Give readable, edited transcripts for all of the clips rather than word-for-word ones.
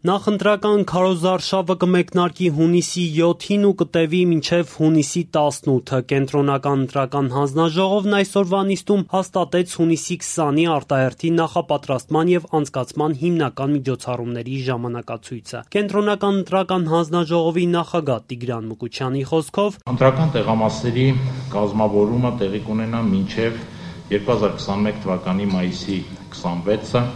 Նախընտրական քարոզարշավը կմեկնարկի հունիսի 7-ին ու կտևի մինչև հունիսի 18-ը։ Կենտրոնական ընտրական հանձնաժողովն այսօրվա նիստում հաստատեց հունիսի 20-ի արտահերթի նախապատրաստման և անցկացման հիմնական միջոցառումների ժամանակացույցը։ Կենտրոնական ընտրական հանձնաժողովի նախագահ Տիգրան Մուկուչյանի խոսքով ընտրական տեղամասերի կազմավորումը տեղի կունենա մինչև 2021 թվականի մայիսի 26-ը։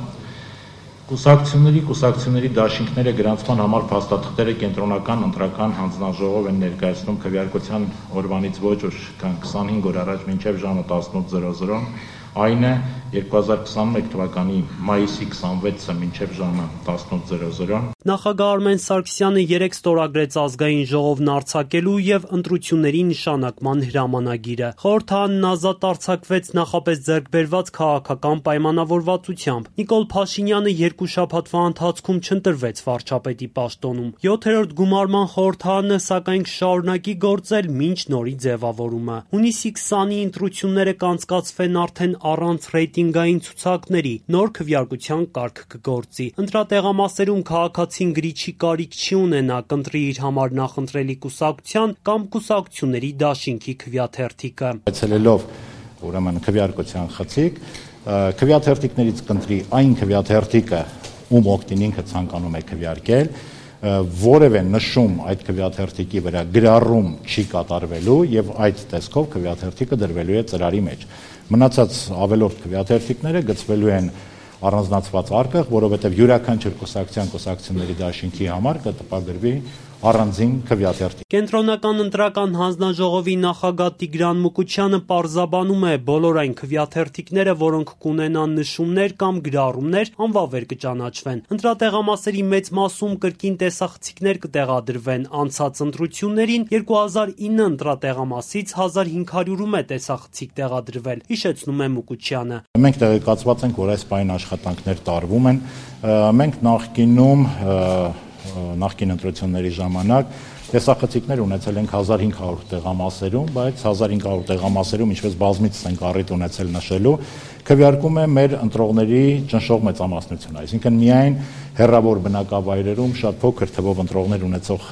Կուսակցությունների դաշինքները գրանցման համար փաստաթղթերը կենտրոնական ընտրական հանձնաժողով են ներկայացնում քվեարկության օրվանից ոչ ուշ քան 25 օր առաջ մինչև ժամը 18:00, այն է 2021 թվականի մայիսի 26-ը մինչև ժամը 18:00։ Նախագահ Արմեն Սարգսյանը երեկ ստորագրեց ազգային ժողովն արձակելու և ընտրությունների նշանակման հրամանագիրը։ Խորհրդարանն ազատ արձակվեց նախապես ձեռք բերված քաղաքական պայմանավորվածությամբ։ Նիկոլ Փաշինյանը երկու շաբաթվա ընթացքում չընտրվեց վարչապետի պաշտոնում։ 7-րդ գումարման խորհրդարանը սակայն կշարունակի գործել մինչ նորի ձևավորումը։ Հունիսի 20-ի ընտրությունները կանցկացվեն արդեն առանց ռեյտինգային ցուցակների, նոր քվեարկության կարգ կգործի։ Ընտրատեղամասերում քաղաքացին գրիչի կարիք չի ունենա, կընտրի իր համար նախընտրելի կուսակցության կամ կուսակցությունների դաշինքի քվեաթերթիկը։ Այցելելով ուրեմն քվեարկության խցիկ, քվեաթերթիկներից կընտրի այն քվեաթերթիկը, ում օգտին ինքը ցանկանում է քվեարկել, որևէ նշում այդ քվեաթերթիկի վրա գրառում չի կատարվելու եւ այդ տեսքով քվեաթերթիկը դրվելու է ծրարի մեջ։ Մնացած ավելորդ քվեաթերթիկները գծվելու են առանձնացված արկղ, որովհետև յուրաքանչյուր կուսակցությունների դաշինքի համար կտպագրվի առանձին քվեաթերթիկ։ Կենտրոնական ընտրական հանձնաժողովի նախագահ Տիգրան Մուկուչյանը պարզաբանում է, բոլոր այն քվեաթերթիկները, որոնք կունենան նշումներ կամ գրառումներ, անվավեր կճանաչվեն։ Ընտրատեղամասերի մեծ մասում կրկին տեսախցիկներ կտեղադրվեն։ Անցած ընտրություններին 2009 ընտրատեղամասից 1500-ում է տեսախցիկ տեղադրվել, հիշեցնում է Մուկուչյանը։ Մենք տեղեկացված ենք, որ այս պայն աշխատանքներ տարվում են։ Մենք նախկին ընտրությունների ժամանակ տեսախցիկներ ունեցել ենք 1500 տեղամասերում, բայց 1500 տեղամասերում, ինչպես բազմիցս ենք առիթ ունեցել նշելու, քվեարկում է մեր ընտրողների ճնշող մեծամասնությունը, այսինքն միայն հեռավոր բնակավայրերում շատ փոքր թվով ընտրողներ ունեցող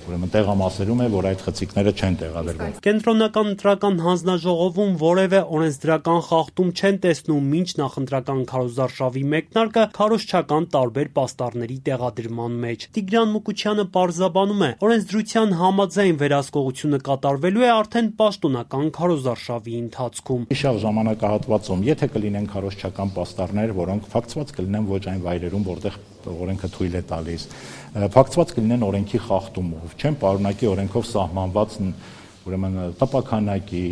տեղամասերում է, որ այդ խցիկները չեն տեղադրվում։ Կենտրոնական ընտրական հանձնաժողովում որևէ օրենսդրական խախտում չեն տեսնում մինչ նախընտրական քարոզարշավի մեկնարկը քարոզչական տարբեր պաստառների տեղադրման մեջ։ Տիգրան Մուկուչյանը պարզաբանում է, օրենսդրության համաձայն վերահսկողությունը կատարվելու է արդեն պաշտոնական քարոզարշավի ընթացքում։ Իշավ ժամանակահատվածում, եթե կլինեն քարոզչական պաստառներ, որոնք փակցված կլինեն ոչ այն վայրերում, որտեղ օրենքը թույլ է տալիս, փակցված կլինեն օրենքի խախտումով, չեն պարունակի օրենքով սահմանված ուրեմն տպաքանակի,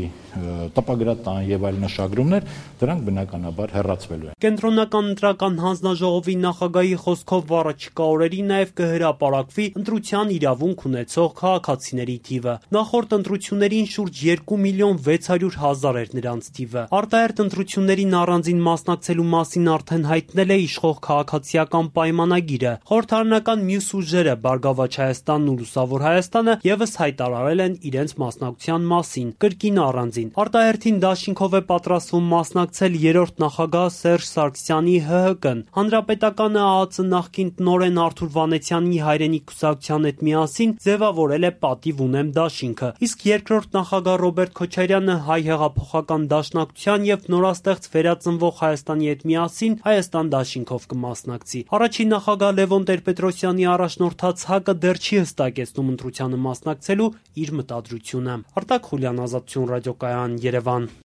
տպագրատան եւ այլ նշագրումներ, դրանք բնականաբար հեռացվելու են։ Կենտրոնական ընտրական հանձնաժողովի նախագահի խոսքով առաջիկա օրերին նաեւ կհրապարակվի ընտրության իրավունք ունեցող քաղաքացիների թիվը։ Նախորդ ընտրություններին շուրջ 2,600,000 էր նրանց թիվը։ Արտահերթ ընտրություններին առանձին մասնակցելու մասին արդեն հայտնել է իշխող քաղաքացիական պայմանագիրը։ Խորհրդարանական մյուս ուժերը Բարգավաճ Հայաստանն ու Լուսավոր Հայաստանը եւս հայտարարել են իրենց մասնակցության մասին, կրկին առանձին։ Արտահերթին դաշինքով է պատրաստվում մասնակցել երրորդ նախագահ Սերժ Սարգսյանի ՀՀԿ-ն։ Հանրապետականը ԱԱԾ նախկին տնօրեն Արթուր Վանեցյանի հայրենիք կուսակցության հետ միասին ձևավորել է Պատիվ ունեմ դաշինքը, իսկ երկրորդ նախագահ Ռոբերտ Քոչարյանը Հայ հեղափոխական դաշնակցության եւ նորաստեղծ վերածնվող Հայաստանի հետ միասին Հայաստան դաշինքով կմասնակցի։ Առաջին նախագահ Լևոն Տեր-Պետրոսյանի առաջնորդած ՀԱԿ-ը դեռ չի հստակեցնում ընտրությանը մասնակցելու իր մտադրությունը։ Արտակ Խուլյան, Ազատություն ռադիոկայան, Երևան։